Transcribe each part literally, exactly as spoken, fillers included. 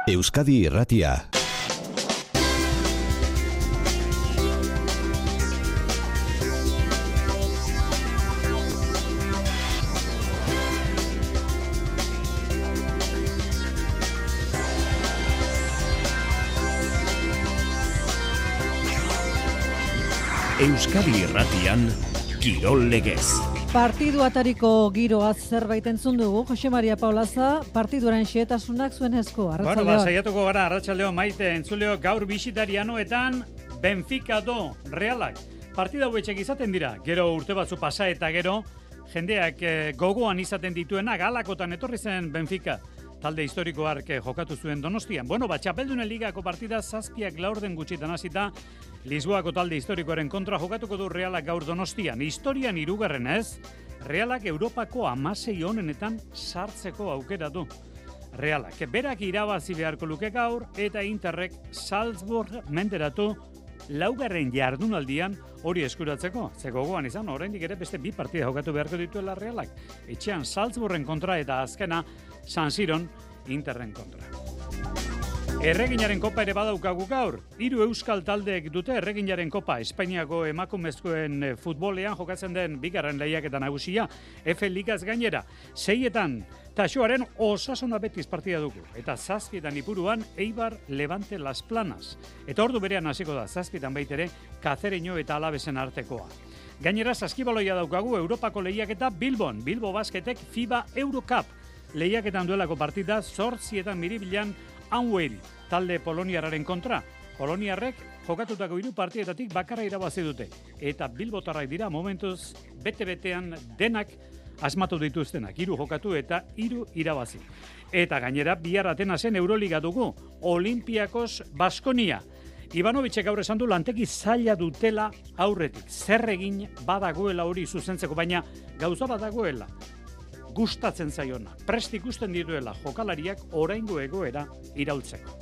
Euskadi Irratia. Euskadi Irratian, Kirol Legez. Partidu atariko giroaz zerbait entzun dugu, Jose Maria Paulaza, partiduaren xehetasunak zuen esku, arratsaldeon. Bueno, ba, saiatuko gara, arratsaldeon Maite, entzuleo gaur bisitarianoetan Benfica do Realak. Partida hauetxek izaten dira, gero urte batzu pasa eta gero, jendeak eh, gogoan izaten dituenak, halakotan etorri zen Benfica. Talde historiko hark jokatu zuen Donostian. Bueno, ba, Txapeldunen ligako partida zazpiak laurden gutxitan hasita, Lisboako talde historikoaren kontra jokatuko du Realak gaur Donostian. Historian hirugarren ez, Realak Europako hamasei onenetan sartzeko aukera du. Realak berak irabazi beharko luke gaur eta Interrek Salzburg menderatu laugarren jardunaldian hori eskuratzeko. Ze gogoan izan, oraindik ere beste bi partida jokatu beharko dituela Realak. Etxean Salzburgen kontra eta azkena San Siron Interren kontra. Erreginaren kopa ere badaukagu gaur. Hiru euskal taldeek dute Erreginaren kopa. Espainiako emakumezkoen futbolean jokatzen den bigarren lehiaketa nagusia. F Ligaz gainera. Seietan Taxoaren Osasuna Betis partida dugu. Eta zazpietan Ipuruan Eibar Levante Las Planas. Eta ordu berean hasiko da zazpietan baitere Kazereño eta Alavesen artekoa. Gainera saskibaloia daukagu Europako lehiaketa Bilbon. Bilbo Basketek FIBA Eurocup. Lehiaketan duelako partida zortzietan Miribilan Anweri, talde poloniarraren kontra. Poloniarrek jokatutako hiru partietatik bakarra irabazi dute. Eta bilbotarrak dira momentuz bete-betean denak asmatu dituztenak. Hiru jokatu eta hiru irabazi. Eta gainera bihar Atenasen Euroliga dugu. Olympiakos Baskonia. Ivanovicek gaur esan du lantegi zaila dutela aurretik. Zer egin badagoela hori zuzentzeko, baina gauza badagoela. Gustatzen zaiona, prest ikusten dituela jokalariak oraingo egoera iraultzeko.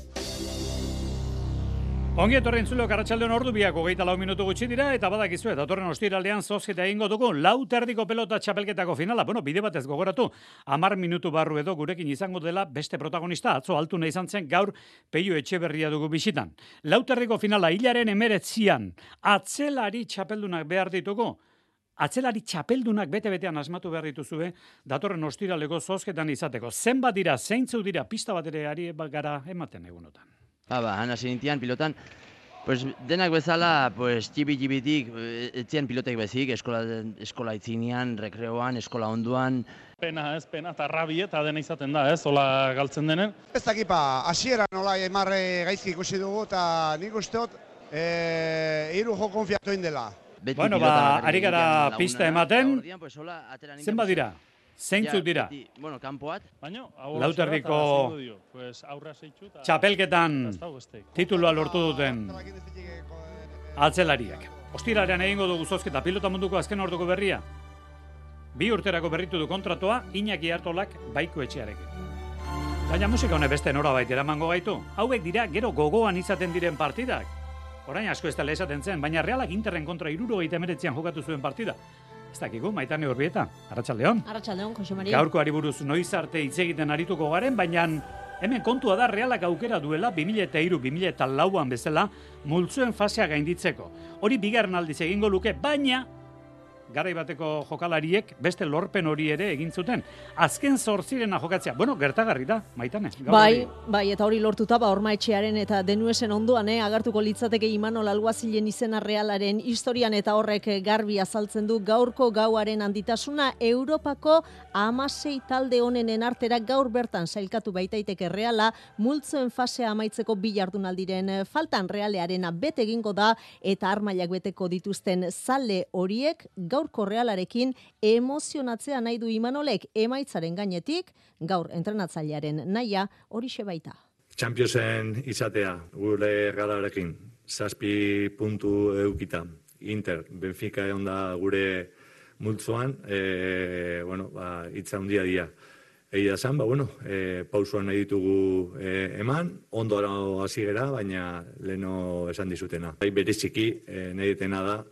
Ongi etorri entzuleok, arratsaldeon ordu biak hogeita lau minutu gutxi dira, eta badakizue, datorren ostiralean zozketa egingo dugu, lau terdiko pelota txapelketako finala. Bueno, bide batez gogoratu, hamar minutu barru edo gurekin izango dela beste protagonista, atzo altuna izan zen gaur Peio Etxeberria dugu bisitan. Lau terdiko finala hilaren emeretzian, atzelari txapeldunak behar ditugu. Atzelari txapeldunak bete-betean asmatu behar dituzue, datorren ostiraleko zozketan izateko. Zenbat dira, zeintzu dira, pista bat ere ari gara ematen egunotan. Ba, ba, hana zinitian pilotan, pues, denak bezala, pues, txibi-txibitik, etzian pilotek bezik, eskola, eskola itzinean, rekreoan, eskola onduan. Pena, ez, pena, eta rabi eta dena izaten da, ez, hola galtzen denen. Ez dakipa, hasieran nola emarre gaizki ikusi dugu, eta nik usteot, e, hiru jo konfiatu indela. Beti bueno, ba, ari gara pista ematen, pues, zenbat dira, zeintzuk dira. Beti, bueno, kanpoat. Lauterdiko pues, txapelketan titulua lortu duten atzelariak. Ostiralean egingo dugu zozketa pilota munduko azken orduko berria. Bi urterako berritu du kontratoa Iñaki Artolak Baiko Etxearekin. Baina musika honek beste norabait eramango gaitu. Hauek dira gero gogoan izaten diren partidak. Orain asko ez dela esaten zen, baina Realak Interren kontra hirurogeita hemeretzian jokatu zuen partida. Ez dakigu, Maitane Urbieta, arratsaldeon. Arratsaldeon, Jose Maria. Gaurkoari buruz noiz arte hitz egiten arituko garen, baina hemen kontua da Realak aukera duela bi mila hiru bi mila lauan bezala multzoen fasea gainditzeko. Hori bigarren aldiz egingo luke, baina garai bateko jokalariek beste lorpen hori ere egin zuten. Azken zortzirena jokatzea. Bueno, gertagarri da, Maitane. Bai, bai, eta hori lortuta, ba, Horma Etxearen eta Denuesen ondoan, eh, agartuko litzateke Imanol Alguazilen izena Realaren historian, eta horrek garbi azaltzen du gaurko gauaren handitasuna. Europako hamasei talde honenen artera gaur bertan sailkatu baitaiteke Reala, multzoen fasea amaitzeko bi jardunaldiren faltan. Realearena bete egingo da, eta armailak beteko dituzten zale horiek gaurko Realarekin emozionatzea nahi du Imanolek, emaitzaren gainetik, gaur entrenatzailearen nahia horixe baita. Championsen izatea, gure Realarekin, zazpi puntu eukita. Inter, Benfica egon da gure multzoan, e, bueno, ba, itza handia dira. Egia zan, ba, bueno, e, pausuan nahi ditugu e, eman, ondo hasi gera, baina leheno esan dizutena. Bereziki, e, nahi detena da,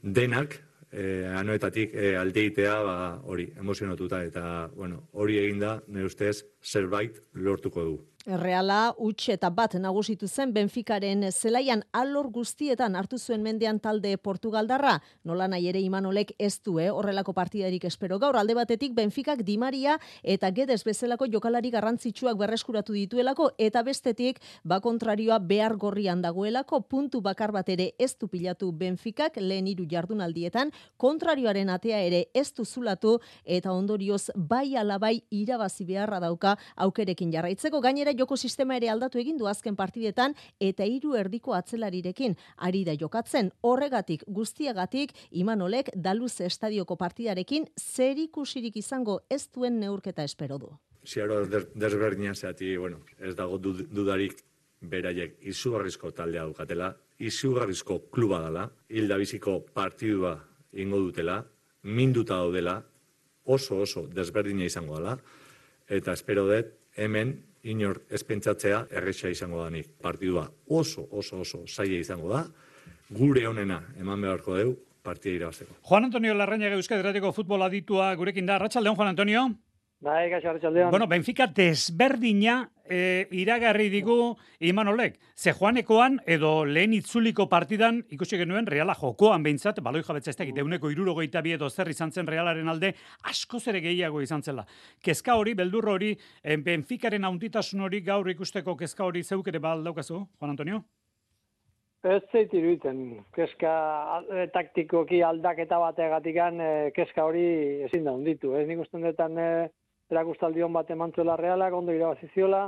denak, E, anoetatik e, alde itea ba, hori, emozionatuta, eta bueno, hori eginda, nire ustez, zerbait lortuko du. Reala huts eta bat nagusitu zen Benficaren zelaian alor guztietan hartu zuen mendean talde Portugaldarra. Nola nahi ere Imanolek ez du, eh? Horrelako partidarik espero. Gaur alde batetik Benficak Di Maria eta Guedes bezalako jokalari garrantzitsuak berreskuratu dituelako eta bestetik ba kontrarioa behar gorrian dagoelako puntu bakar bat ere ez du pilatu Benficak lehen hiru jardunaldietan, kontrarioaren atea ere ez du zulatu eta ondorioz bai alabai irabazi beharra dauka aukerekin jarraitzeko. Gainera joko sistema ere aldatu egin du azken partidetan eta hiru erdiko atzelarirekin ari da jokatzen. Horregatik guztiagatik Imanolek Daluze estadioko partidarekin zerikusirik izango ez duen neurketa espero du. Ziaro desberdina zeati, bueno, ez dago dudarik beraiek izugarrizko taldea dukatela, izugarrizko kluba dela, hilda biziko partidua ingo dutela, minduta daudela, oso oso desberdina izango dela, eta espero dut hemen inor ez pentsatzea erresa izango danik. Partidua oso, oso, oso zaila izango da, gure honena eman beharko deu, partida irabazteko. Juan Antonio Larrañaga Euskadi Irratiko futbol aditua gurekin da. Arratsaldeon, Juan Antonio. Bai, gaixo, arratsaldeon. Bueno, Benfica desberdina e, iragarri digu Imanolek. Ze Juanekoan edo lehen itzuliko partidan ikusi genuen Reala jokoan behintzat, baloi jabetza ez dakit, euneko hirurogeita bi edo zer izan zen Realaren alde, askoz ere gehiago izan zela. Kezka hori, beldur hori, Benficaren haunditasun hori gaur ikusteko kezka hori zeuk ere baldaukazu, Juan Antonio? Ez zait iruditzen, kezka e, taktikoki aldaketa bategatikan e, kezka hori ezin da hunditu. Ez nik usten detan e, erakustaldion bat emantzuela Realak, ondo irabaziziola,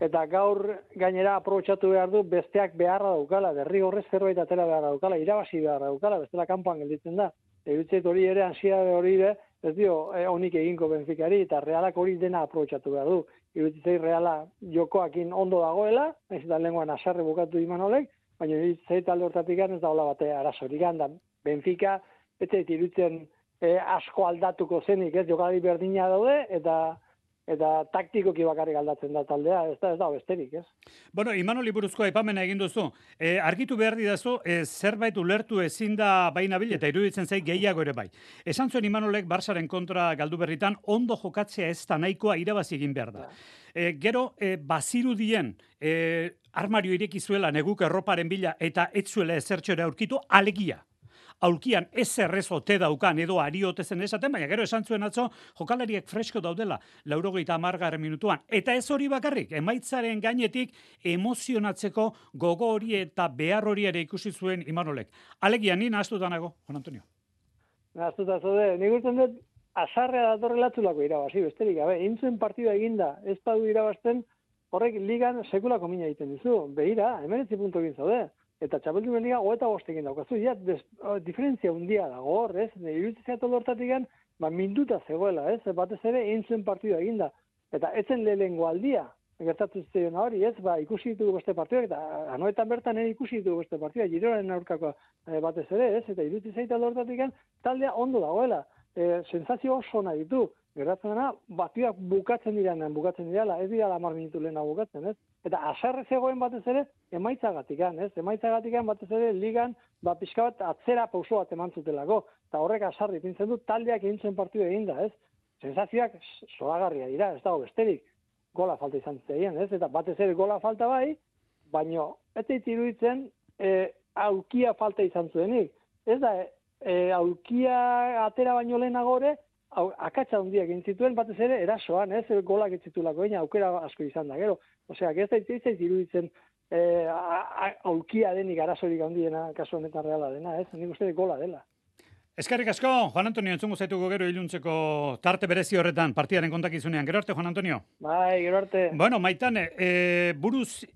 eta gaur gainera aprobetxatu behar du besteak beharra daukala, derrigorrez zerbait atera beharra daukala, irabazi beharra daukala, bestela kanpoan gelditzen da. Iruditzait hori ere, ansiedade hori ere, ez dio e, onik eginko Benficari, eta Realak hori dena aprobetxatu behar du. Iruditzait Reala jokoakin ondo dagoela, ez da lenguan asarre bukatu Imanolek, baina iruditzait alde hortatik ez da hola bate arazorik da. Benfica, ez zait iruditzen e, asko aldatuko zenik, ez jokalari berdina daude, eta eta taktikoki bakarrik aldatzen da taldea, ez da, ez da besterik, ez? Bueno, Imanoli buruzko aipamena egin duzu. E, argitu behar didazu, e, zerbait ulertu ezin da baina bil, eta iruditzen zait gehiago ere bai. Esan zuen Imanolek Barsaren kontra galdu berritan, ondo jokatzea ez da nahikoa irabazi egin behar da. E, gero, e, bazirudien e, armario ireki zuela neguk erroparen bila eta ez zuela ezertxora aurkitu, alegia. Aulkian ez errezo te daukan edo ariotezen esaten, baina gero esan zuen atzo jokalariek fresko daudela laurogeita hamargarren minutuan. Eta ez hori bakarrik, emaitzaren gainetik emozionatzeko gogo hori eta behar hori ere ikusi zuen Imanolek. Alegia, ni nahaztuta nago, Juan Antonio. Nahaztuta zode, nik usten dut azarrea datorrela txulako irabazi, besterik gabe, intzuen partida eginda, ez badu irabazten, horrek ligan sekulako mina egiten dizu. Behira, hemeretzi puntu egin zaude. Eta txapeldunen liga hogeita bostekin daukazu. Ja, des, o, diferentzia hundia dago hor, ez? Iruditzea tolortatik ba, minduta zegoela, ez? Batez ere, eintzuen partidua eginda. Eta etzen lehengo aldia, gertatu ziren hori, ez? Ba, ikusi ditugu beste partiduak, eta anoetan bertan ere ikusi ditugu beste partidua, Girolaren aurkako e, batez ere, ez? Eta iruditzea tolortatik taldea ondo dagoela. E, sensazio oso nahi ditu. Gertatzen dena, batiak bukatzen direnean, bukatzen direla, ez dira hamar minutu lehena bukatzen, ez? Eta asarre zegoen batez ere, emaitzagatikan, ez? Emaitzagatikan batez ere, ligan, ba, pixka bat atzera pauso bat eman zutelako. Eta horrek asarri pintzen du, taldeak egin zuen partidu egin da, ez? Sensazioak zoragarria dira, ez dago besterik. Gola falta izan zuten, ez? Eta batez ere gola falta bai, baino, ez dut iruditzen, e, aukia falta izan zuenik. Ez da, e, aukia atera baino lehenagore, akatsa handiak egin zituen, batez ere, erasoan, ez, golak etzitulako, egin aukera asko izan da, gero. Osea, ez da iruditzen eh, aulkia denik arazorik handiena, kasu honetan Reala dena, ez, nik uste gola dela. Eskerrik asko, Juan Antonio, entzungo zaituko gero iluntzeko tarte berezi horretan, partidaren kontakizunean. Gero arte, Juan Antonio. Bai, gero arte. Bueno, Maitane, e, buruz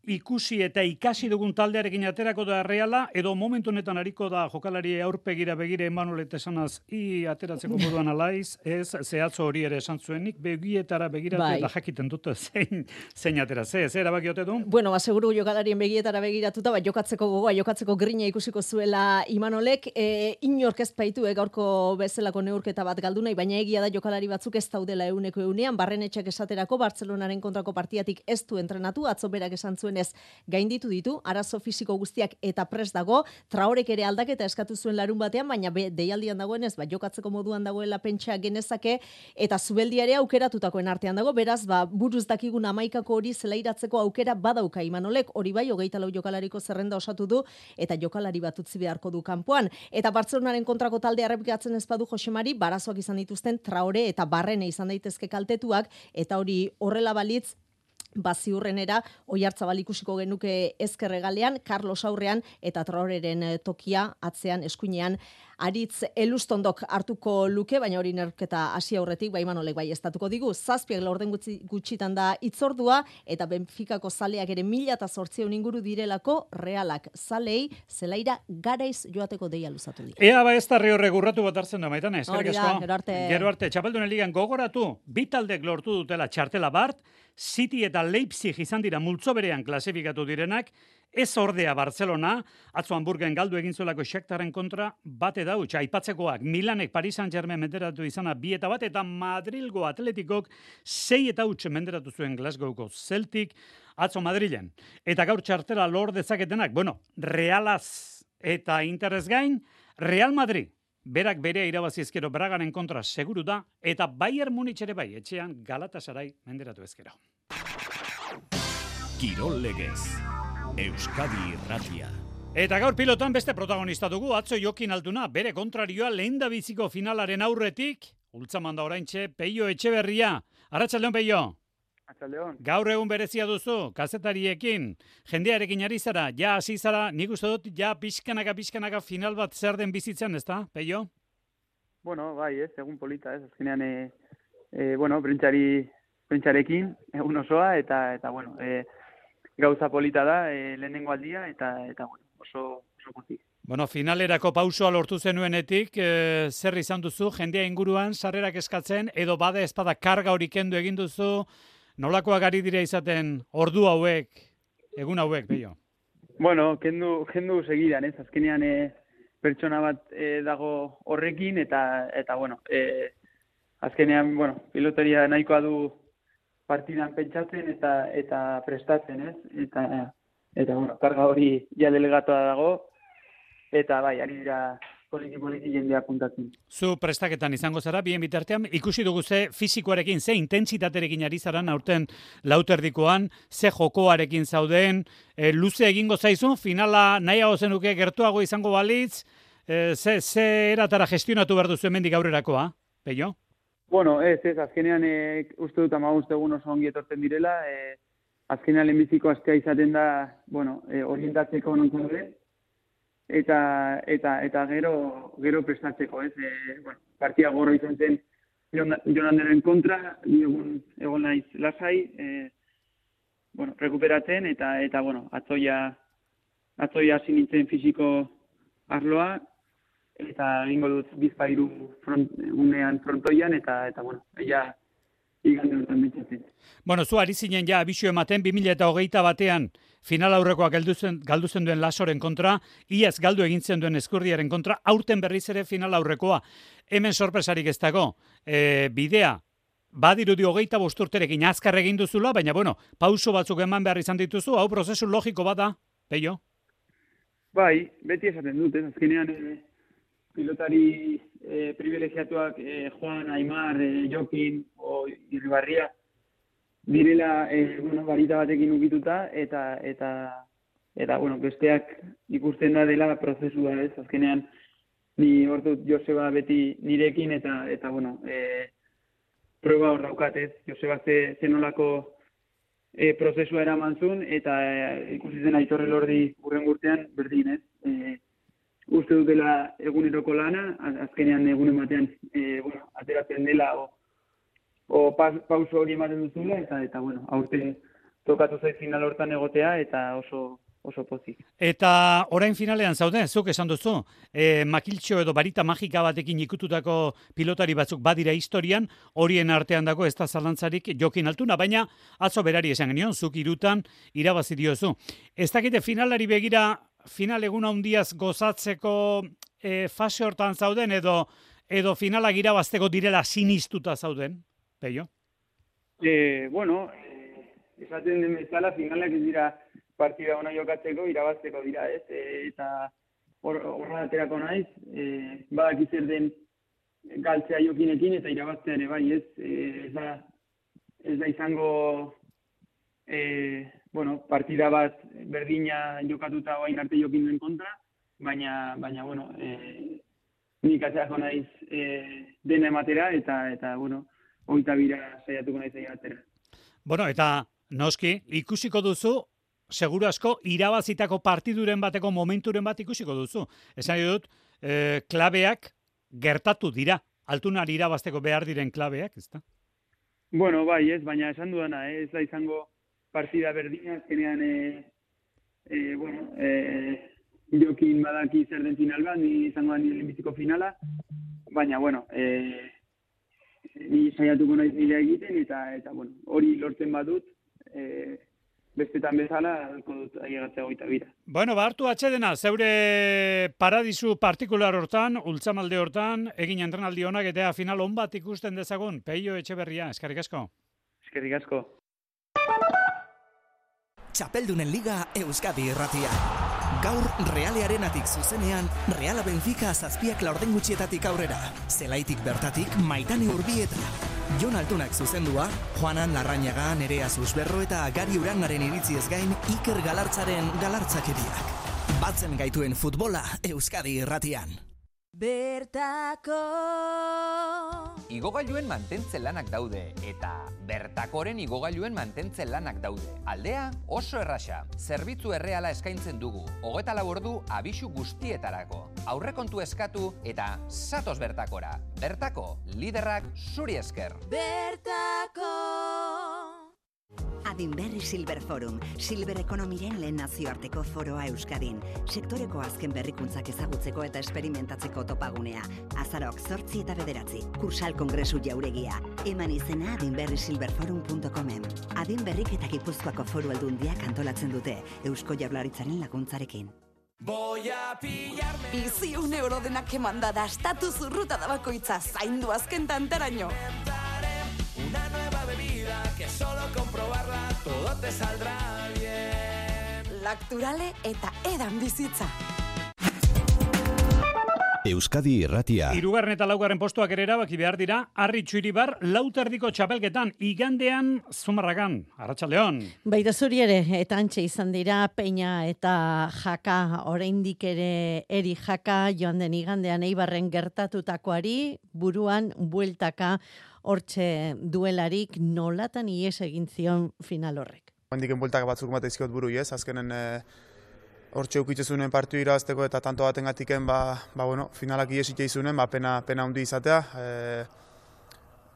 ikusi eta ikasi dugun taldearekin aterako da Reala, edo momentu honetan ariko da jokalari aurpegira begire Emanuel esanaz i ateratzeko moduan alaiz, ez, zehatzo hori ere esan zuenik, begietara begiratu bai. Eta jakiten dute zein, zein atera, ze, ze erabaki ote du? Bueno, ba, seguru jokalarien begietara begiratuta, ba, jokatzeko gogoa, jokatzeko grina ikusiko zuela Imanolek, e, inork ez baitu, e, gaurko bezalako neurketa bat galdu nahi, baina egia da jokalari batzuk ez daudela euneko eunean, Barrenetxek esaterako Bartzelonaren kontrako partidatik ez du entrenatu, atzo berak esan zuen dioenez, gainditu ditu, arazo fisiko guztiak eta prest dago, Traorek ere aldaketa eskatu zuen larun batean, baina be, deialdian dagoenez, ba, jokatzeko moduan dagoela pentsa genezake, eta zubeldia ere aukeratutakoen artean dago, beraz, ba, buruz dakigun hamaikako hori zelairatzeko aukera badauka Imanolek, hori bai, hogeita lau jokalariko zerrenda osatu du, eta jokalari bat utzi beharko du kanpoan. Eta Bartzelonaren kontrako talde errepikatzen ez badu Josemari, barazoak izan dituzten Traore eta Barrene izan daitezke kaltetuak, eta hori horrela balitz, baziurrenera, Oiartzabal ikusiko genuke ezkerregalean, Carlos aurrean eta Traoreren tokia atzean eskuinean Aritz Elustondok hartuko luke, baina hori neurketa hasi aurretik, ba Imanolek bai estatuko digu. Zazpiak laurden gutxi, gutxitan da itzordua, eta Benficako zaleak ere mila eta zortziehun inguru direlako, Realak zalei zelaira garaiz joateko deia luzatu dira. Ea ba ez da horrek urratu bat hartzen da, Maitane, hori eskerrik da, asko. gero arte. Gero arte, Txapeldunen ligan gogoratu, bi taldek lortu dutela txartela bart, City eta Leipzig izan dira multzo berean klasifikatu direnak, ez ordea Barcelona, atzo Hamburgen galdu egin zuelako Shakhtarren kontra bate dautxa, aipatzekoak Milanek Paris Saint-Germain menderatu izana bi eta bat, eta Madrilgo Atletikok sei eta huts menderatu zuen Glasgowko Celtic, atzo Madrilen. Eta gaur txartela lor dezaketenak, bueno, Realaz eta Interez gain, Real Madrid, berak bere irabazi ezkero Bragaren kontra seguru da, eta Bayern Munich ere bai, etxean Galatasaray menderatu ezkero. Kirol Legez, Euskadi Irratia. Eta gaur pilotan beste protagonista dugu, atzo Jokin Altuna, bere kontrarioa lehendabiziko finalaren aurretik, ultzaman da oraintxe, Peio Etxeberria. Arratsaldeon, Peio. Arratsaldeon. Gaur egun berezia duzu, kazetariekin, jendearekin ari zara, ja hasi zara, nik uste dut, ja pixkanaka, pixkanaka final bat zer den bizitzen, ezta, Peio? Bueno, bai, ez, egun polita, ez, azkenean, e, e, bueno, prentsari, prentsarekin, egun osoa, eta, eta bueno, e, gauza polita da, e, lehenengo aldia, eta, eta bueno, oso, oso pozik. Bueno, finalerako pausoa lortu zenuenetik, e, zer izan duzu, jendea inguruan, sarrerak eskatzen, edo bada espada karga hori kendu egin duzu, nolakoak ari dira izaten ordu hauek, egun hauek, Peio? Bueno, kendu, kendu segidan, ez, azkenean e, pertsona bat e, dago horrekin, eta, eta bueno, e, azkenean, bueno, piloteria nahikoa du partidan pentsatzen eta eta prestatzen, ez? Eta, eta bueno, karga hori ja delegatoa dago, eta bai, ari dira poliki-poliki jendea puntatzen. Zu prestaketan izango zara, bien bitartean, ikusi dugu ze fisikoarekin, ze intentsitaterekin ari zaran aurten lauterdikoan, ze jokoarekin zauden, e, luze egingo zaizu, finala nahiago zenuke gertuago izango balitz, e, ze, ze eratara gestionatu behar duzu hemendik aurrerakoa, Peio? Bueno, ez, ez, azkenean e, uste dut amagust egun oso ongi etortzen direla, e, azkenean lehenbiziko astea izaten da, bueno, e, orientatzeko non zaude, eta, eta, eta gero, gero prestatzeko, ez, e, bueno, partia gorro izan zen Jonanderen kontra, egun, egon naiz lasai, e, bueno, rekuperatzen, eta, eta bueno, atzoia, atzoia hasi nintzen fisiko arloa, eta egingo dut bizpairu front, unean frontoian, eta, eta bueno, ella igande hortan bitzatzen. Bueno, zu ari zinen ja abisio ematen, bi mila hogeita batean final aurrekoak galduzen, galduzen duen Lasoren kontra, iaz galdu egintzen duen Eskurdiaren kontra, aurten berriz ere final aurrekoa. Hemen sorpresarik ez dago, e, bidea, badirudi hogeita bosturterekin azkar egin duzula, baina bueno, pauso batzuk eman behar izan dituzu, hau prozesu logiko bada, Peio? Bai, beti esaten dut, ez, azkenean, e, pilotari e, privilegiatuak e, Juan, Aimar, e, Jokin o Irribarria direla e, bueno, barita batekin ukituta eta eta eta bueno, besteak ikusten da dela prozesua, ez? Azkenean ni hortu Joseba beti nirekin eta eta bueno, e, proba hor daukat, ez? Joseba ze zenolako e, prozesua eraman zuen eta e, ikusi zen Aitor Elordi hurren urtean berdin, ez? E, uste dutela eguneroko lana, azkenean egunen batean e, bueno, ateratzen dela o, o pas, pauso hori ematen duzula, eta, eta bueno, aurten tokatu zait final hortan egotea, eta oso oso pozik. Eta orain finalean zaude, zuk esan duzu, e, makiltxo edo barita magika batekin ikututako pilotari batzuk badira historian, horien artean dago ez da zalantzarik Jokin Altuna, baina atzo berari esan genion, zuk irutan irabazi diozu. Ez dakite finalari begira, final egun handiaz gozatzeko e, fase hortan zauden, edo edo finalak irabazteko direla sinistuta zauden, Peio? E, bueno, esaten den bezala finalak ez dira partida ona jokatzeko, irabazteko dira, ez? E, eta horra aterako naiz, e, badaki zer den galtzea Jokinekin eta irabaztea ere bai, ez? E, ez, da, ez da izango e, bueno, partida bat berdina jokatuta oain arte Jokinen kontra, baina, baina bueno, e, nik atzerako naiz e, dena ematera eta, eta bueno, hogeita bira saiatuko naiz egin atera. Bueno, eta noski, ikusiko duzu, seguru asko, irabazitako partiduren bateko momenturen bat ikusiko duzu. Esan dut, eh, klabeak gertatu dira. Altunari irabazteko behar diren klabeak, ezta? Bueno, bai, ez, baina esan dudana, eh, ez da izango partida berdina, azkenean, eh, eh, bueno, eh, Jokin badaki zer den final bat, ni izango da nire lehenbiziko finala, baina, bueno, eh, ni saiatuko naiz nire egiten, eta, eta bueno, hori lortzen badut, eh, bestetan bezala, alko dut ailegatzea hogeita bira. Bueno, ba, hartu atxedena, zeure paradisu partikular hortan, ultzamalde hortan, egin entrenaldi honak eta final on bat ikusten dezagun. Peio Etxeberria, eskerrik asko. Eskerrik asko. Txapeldunen Liga Euskadi Irratia. Gaur Realearenatik zuzenean, Reala Benfica zazpiak laurden gutxietatik aurrera. Zelaitik bertatik Maitane Urbieta. Jon Altunak zuzendua, Juanan Larrañaga, Nerea Susberro eta Gari Urangaren iritziez gain Iker Galartzaren galartzakeriak. Batzen gaituen futbola Euskadi Irratian. Bertako Igogailuen mantentze lanak daude eta bertakoren igogailuen mantentze lanak daude. Aldea oso erraxa. Zerbitzu erreala eskaintzen dugu. Hogeita lau ordu abisu guztietarako. Aurrekontu eskatu eta zatoz bertakora. Bertako, liderrak zuri esker. Bertako Adinberri Silver Forum, Silver Ekonomiren lehen nazioarteko foroa Euskadin. Sektoreko azken berrikuntzak ezagutzeko eta esperimentatzeko topagunea. Azaroak zortzi eta bederatzi, Kursal Kongresu jauregia. Eman izena adinberri silver forum puntu comen. Adinberrik eta Gipuzkoako foru aldundiak antolatzen dute, Eusko Jaurlaritzaren laguntzarekin. Voy a pillarme Biziun eurodenak emanda da estatus urruta da bakoitza zaindu azken tantaraino. Una nueva bebida que solo comprobarla todo te saldrá bien. Lacturale eta edan bizitza. Euskadi Irratia. Hirugarren eta laugarren postuak ere erabaki behar dira, Arri Txuribar lauterdiko txapelketan, igandean Zumarragan. Arratsaldeon. Baita zuri ere, eta antxe izan dira, Peña eta Jaka, oraindik ere eri Jaka, joan den igandean Eibarren gertatutakoari, buruan bueltaka, hortxe duelarik nolatan ies egin zion final horrek. Handiken bueltaka batzuk bat izkiot buru, ez? Azkenen hortxe ukitzezunen partiu irabazteko eta tanto baten gatiken, ba, ba, bueno, finalak iesik eizunen, ba, pena, pena hundi izatea. E,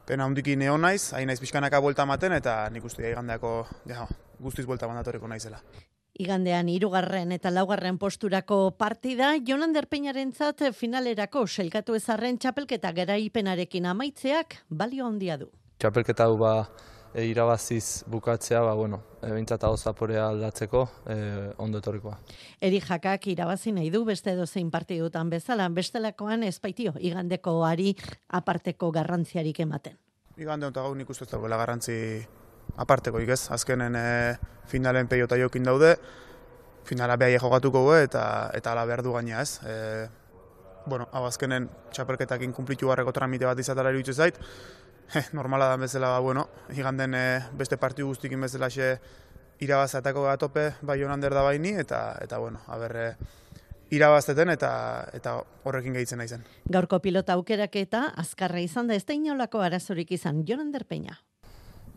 pena hundiki neo naiz, hain naiz pixkanaka buelta maten, eta nik uste igandeako ja, guztiz buelta mandatoreko naizela. Igandean hirugarren eta laugarren posturako partida, Jon Ander Peñarentzat finalerako selkatu ezarren txapelketa garaipenarekin amaitzeak balio handia du. Txapelketa hau ba e, irabaziz bukatzea, ba bueno, e, behintzat hau zaporea aldatzeko e, ondo etorrikoa. Eri Jakak irabazi nahi du beste dozein partidutan bezala, bestelakoan ezpaitio igandekoari aparteko garrantziarik ematen. Igande honetan gau nik uste ez dagoela garrantzi apartekoik ez, azkenen e, finalen Peio eta Jokin daude, finala behai jogatuko gu eta eta ala behar du gaina ez. E, bueno, hau azkenen txapelketakin kumplitu barreko tramite bat izatara iruditzen zait, eh, normala da bezala, bueno, iganden e, beste partidu guztikin bezala xe irabazatako gatope bai Jon Ander da baini, eta, eta bueno, haber, e, irabazteten eta eta horrekin gehitzen naizen. Gaurko pilota aukeraketa azkarra izan da, ez da inolako arazorik izan, Jon Ander Peña.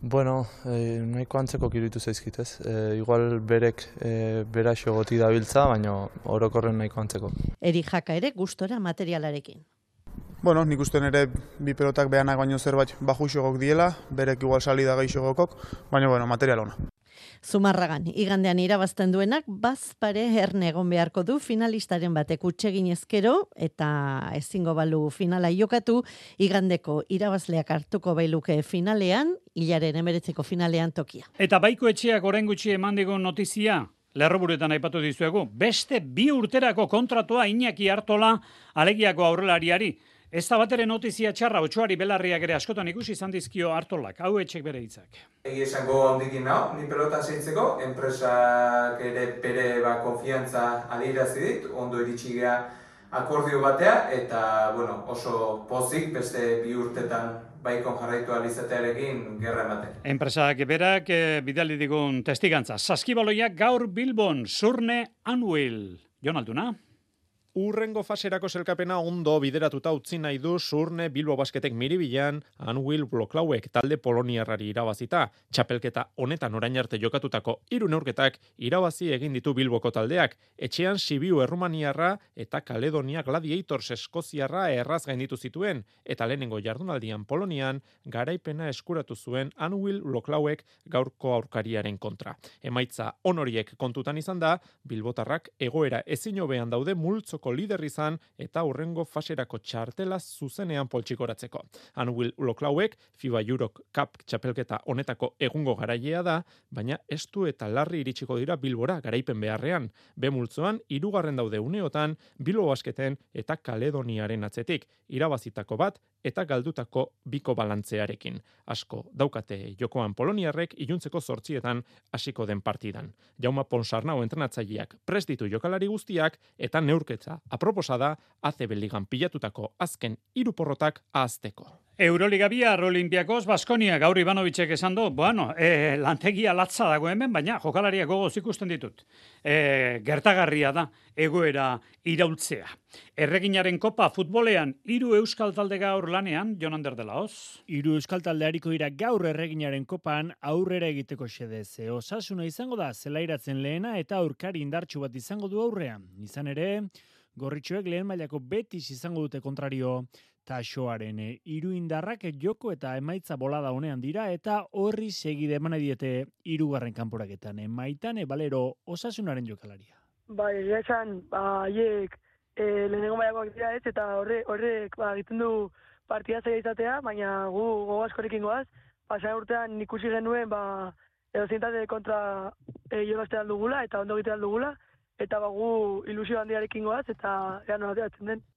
Bueno, eh, nahiko antzeko kiruditu zaizkit, ez? Eh, igual berek eh, beraxo goti dabiltza, baina orokorren nahiko antzeko. Eri Jaka ere gustora materialarekin. Bueno, nik usten ere bi pelotak behanak baino zerbait bajuxogok diela, berek igual salida gaixogokok, baina bueno, material ona. Zumarragan, igandean irabazten duenak, bazpare erne egon beharko du finalistaren batek utsegin ezkero, eta ezingo balu finala jokatu, igandeko irabazleak hartuko bailuke finalean, hilaren emeretzeko finalean tokia. Eta Baiko Etxeak orain gutxi eman digun notizia, lerroburuetan aipatu dizuegu, beste bi urterako kontratua Iñaki Artola alegiako aurrelariari. Ez da batere notizia txarra, Otsoari Belarriak ere askotan ikusi izan dizkio Artolak, hau etxek bere hitzak. Egi esango handikin nao, ni pelota seitzeko, enpresak ere bere ba, konfiantza adierazi dit, ondo iritsi gea akordio batea, eta bueno, oso pozik beste bi urtetan baikon jarraitu alizatearekin gerra ematen. Enpresak berak e, bidali digun testigantza. Saskibaloiak gaur Bilbon, Surne Anuil. Jon Alduna. Urrengo faserako selkapena ondo bideratuta utzi nahi du Surne Bilbo Basketek Miribilan Anuil Bloklauek talde poloniarrari irabazita. Txapelketa honetan orain arte jokatutako hiru neurketak irabazi egin ditu Bilboko taldeak. Etxean Sibiu Errumaniarra eta Kaledonia Gladiators Eskoziarra erraz gainditu zituen eta lehenengo jardunaldian Polonian garaipena eskuratu zuen Anuil Bloklauek gaurko aurkariaren kontra. Emaitza honoriek kontutan izan da, Bilbotarrak egoera ezin hobean daude multzoko lider izan eta hurrengo faserako txartela zuzenean poltsikoratzeko. Anuil Bloklauek FIBA Euro Cup txapelketa honetako egungo garailea da, baina estu eta larri iritsiko dira Bilbora garaipen beharrean. Be multzoan hirugarren daude uneotan Bilbo Basketen eta Kaledoniaren atzetik, irabazitako bat eta galdutako biko balantzearekin. Asko daukate jokoan poloniarrek iluntzeko zortzietan hasiko den partidan. Jaume Ponsarnau entrenatzaileak prest ditu jokalari guztiak eta neurketza aproposa da A C B ligan pilatutako azken hiru porrotak ahazteko. Euroliga bihar Olimpiakos Baskonia gaur Ivanovicek esan du, bueno, e, lantegia latza dago hemen, baina jokalariak gogoz ikusten ditut. E, gertagarria da egoera iraultzea. Erreginaren kopa futbolean hiru euskal talde gaur lanean, Jon Ander de Laoz. Hiru euskal talde hariko dira gaur Erreginaren kopan aurrera egiteko xedez. Osasuna izango da zelairatzen lehena eta aurkari indartsu bat izango du aurrean. Izan ere, gorritxoek lehen mailako Betis izango dute kontrario. Taxoaren hiru indarrak joko eta emaitza bolada honean dira eta horri segide eman diete hirugarren kanporaketan. Maitane Balero Osasunaren jokalaria. Bai, egia esan, haiek e, lehenengo mailakoak dira ez, eta horrek horrek ba, egiten du partida zaila izatea, baina gu gogo askorekin goaz, pasan urtean ikusi genuen ba, edo zintate kontra e, jolazte dugula eta ondo egite dugula, eta ba, gu ilusio handiarekin goaz, eta ea nola den.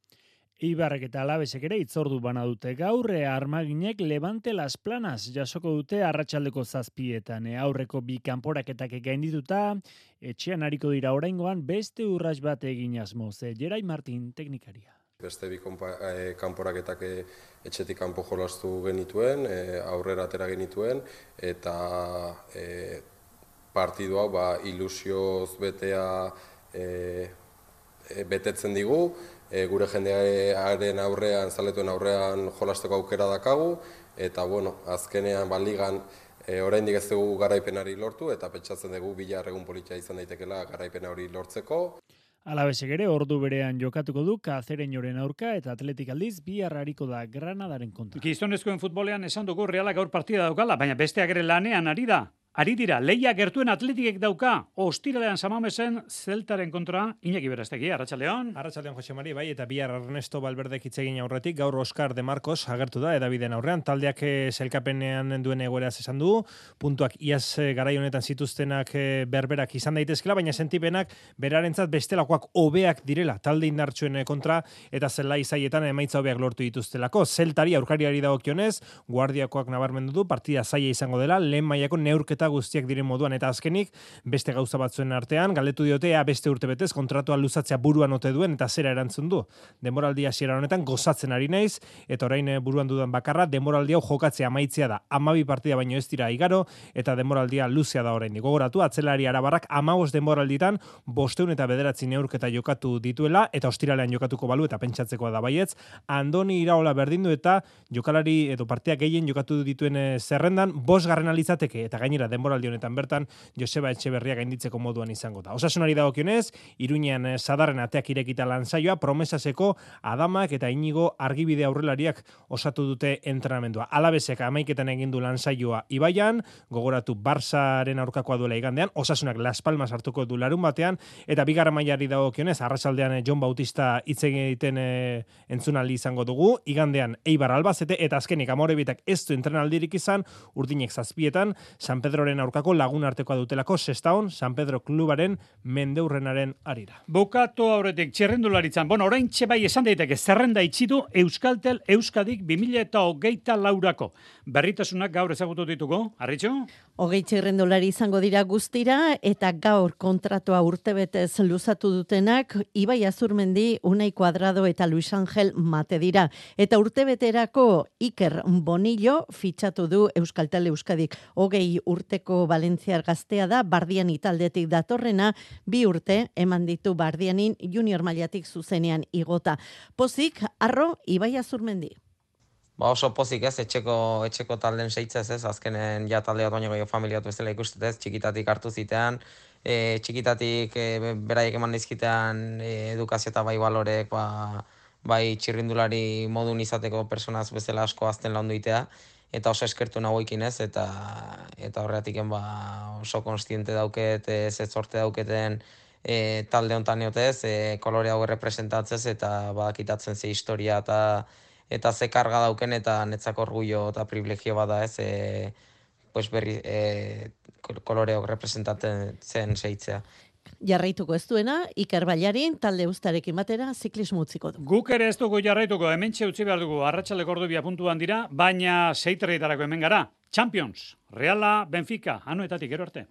Ibarrek eta Alabesek ere itzordu bana dute gaur, Armaginek Levante Las Planas jasoko dute arratsaldeko zazpietan. Aurreko bi kanporaketak gaindituta, etxean hariko dira oraingoan beste urrats bat egin asmoz. Jerai Martin teknikaria. Beste bi eh, kanporaketak etxetik kanpo jolastu genituen, eh, aurrera atera genituen, eta eh, partidu hau ba, ilusioz betea eh, betetzen digu, e, gure jendearen aurrean, zaletuen aurrean jolasteko aukera dakagu, eta bueno, azkenean ba, ligan e, oraindik ez dugu garaipenari lortu, eta pentsatzen dugu bihar egun politia izan daitekela garaipena hori lortzeko. Alabesek ere ordu berean jokatuko du Kazereñoren aurka eta Atletik aldiz bihar hariko da Granadaren kontra. Gizonezkoen futbolean esan dugu Realak gaur partida daukala, baina besteak ere lanean ari da. Ari dira, leia gertuen Atletikek dauka, ostiralean Samamesen Zeltaren kontra, Iñaki Berastegi, Arratsaldeon. Arratsaldeon Jose Mari, bai, eta bihar Ernesto Valverdek hitz egin aurretik, gaur Oscar de Marcos agertu da edabideen aurrean, taldeak selkapenean duen egoeraz esan du, puntuak iaz garai honetan zituztenak berberak izan daitezkela, baina sentipenak berarentzat bestelakoak hobeak direla, talde indartsuen kontra, eta zelai zaietan emaitza hobeak lortu dituztelako. Zeltari aurkariari dagokionez, guardiakoak nabarmendu du, partida zaila izango dela, lehen mailako neurketa guztiak diren moduan, eta azkenik beste gauza batzuen artean galdetu diote ea beste urtebetez kontratua luzatzea buruan ote duen eta zera erantzun du. Denboraldi hasiera honetan gozatzen ari naiz eta orain buruan dudan bakarra denboraldi hau jokatzea amaitzea da. hamabi partida baino ez dira igaro eta denboraldia luzea da oraindik. Gogoratu atzelari arabarrak hamabost denboralditan bostehun eta bederatzi neurketa jokatu dituela eta ostiralean jokatuko balu eta pentsatzekoa da baietz. Andoni Iraola berdindu eta jokalari edo partia gehien jokatu dituen zerrendan bosgarren alitzateke eta gainera denboraldi honetan bertan Joseba Etxeberria gainditzeko moduan izango da. Osasunari dagokionez, Iruñean Sadarren ateak irekita lansaioa, Promesaseko Adamak eta Inigo Argibide aurrelariak osatu dute entrenamendua. Alabesek hamaiketan egin du lansaioa Ibaian, gogoratu Barsaren aurkakoa duela igandean, Osasunak Las Palmas hartuko du larun batean, eta bigarren mailari dagokionez, arratsaldean Jon Bautista hitz egiten e, entzunaldi izango dugu, igandean Eibar Albacete eta azkenik Amorebitak ez du entrenaldirik izan, urdinek zazpietan, San Pedro Pedroren aurkako lagun artekoa dutelako Sestaon San Pedro klubaren mendeurrenaren arira. Bukatu aurretik txirrendularitzan, bueno, orain bai esan daiteke zerrenda itxitu Euskaltel Euskadik bi mila hogeita laurako. Berritasunak gaur ezagutu dituko, Arritxo? Hogei txirrendulari izango dira guztira eta gaur kontratua urtebetez luzatu dutenak Ibai Azurmendi, Unai Cuadrado eta Luis Angel Mate dira. Eta urtebeterako Iker Bonillo fitxatu du Euskaltel Euskadik. Hogei urteko Valentziar gaztea da, Bardiani taldetik datorrena, bi urte eman ditu Bardianin junior mailatik zuzenean igota. Pozik, arro, Ibai Azurmendi. Ba oso pozik ez, etxeko, etxeko talden seitzez ez, azkenen ja talde bat baino gehiago familiatu ez dela ikustet ez, txikitatik hartu zitean, e, txikitatik e, beraiek eman dizkitean e, edukazio eta bai balorek, ba, bai txirrindulari modun izateko personaz bezala asko azten laundu itea, eta oso eskertu nagoikin ez, eta, eta horretiken ba, oso konstiente dauket, ez ez sorte dauketen e, talde hontan neotez, e, kolore hau representatzez, eta badakitatzen ze historia eta eta ze karga dauken eta netzako orgullo eta privilegio bada ez, e, pues berri e, koloreok representatzen zen seitzea. Jarraituko ez duena, Iker Bailarin talde ustarekin batera ziklismo utziko du. Guk ere ez dugu jarraituko, hementxe utzi behar dugu, arratsaldeko ordubia puntuan dira, baina seiterritarako hemen gara. Champions, Reala, Benfica, Anoetatik, gero arte.